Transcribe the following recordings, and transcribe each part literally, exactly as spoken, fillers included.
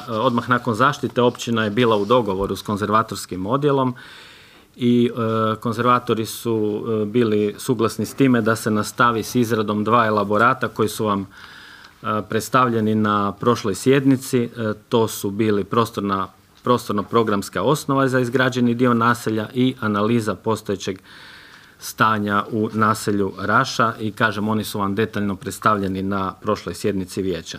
odmah nakon zaštite općina je bila u dogovoru s konzervatorskim odjelom i e, konzervatori su e, bili suglasni s time da se nastavi s izradom dva elaborata koji su vam e, predstavljeni na prošloj sjednici. E, to su bili prostorna, prostorno-programska osnova za izgrađeni dio naselja i analiza postojećeg stanja u naselju Raša i kažem, oni su vam detaljno predstavljeni na prošloj sjednici vijeća.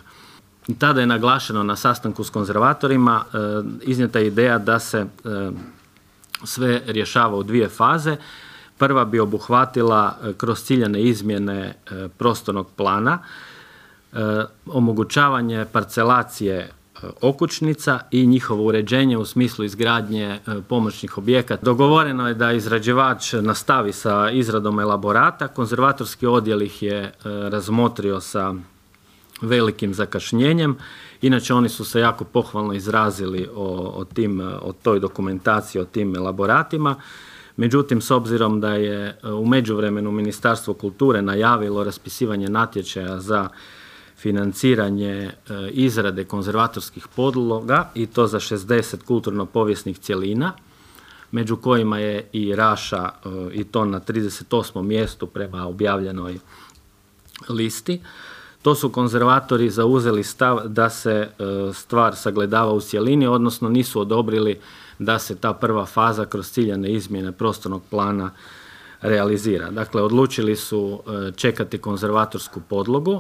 I tada je naglašeno na sastanku s konzervatorima e, iznijeta ideja da se e, sve rješava u dvije faze. Prva bi obuhvatila e, kroz ciljane izmjene e, prostornog plana, e, omogućavanje parcelacije okućnica i njihovo uređenje u smislu izgradnje pomoćnih objekata. Dogovoreno je da izrađivač nastavi sa izradom elaborata. Konzervatorski odjel ih je razmotrio sa velikim zakašnjenjem. Inače, oni su se jako pohvalno izrazili o, o, tim, o toj dokumentaciji, o tim elaboratima. Međutim, s obzirom da je u međuvremenu Ministarstvo kulture najavilo raspisivanje natječaja za financiranje e, izrade konzervatorskih podloga i to za šezdeset kulturno-povijesnih cjelina, među kojima je i Raša e, i to na trideset osmom mjestu prema objavljenoj listi. To su konzervatori zauzeli stav da se e, stvar sagledava u cjelini, odnosno nisu odobrili da se ta prva faza kroz ciljane izmjene prostornog plana realizira. Dakle, odlučili su čekati konzervatorsku podlogu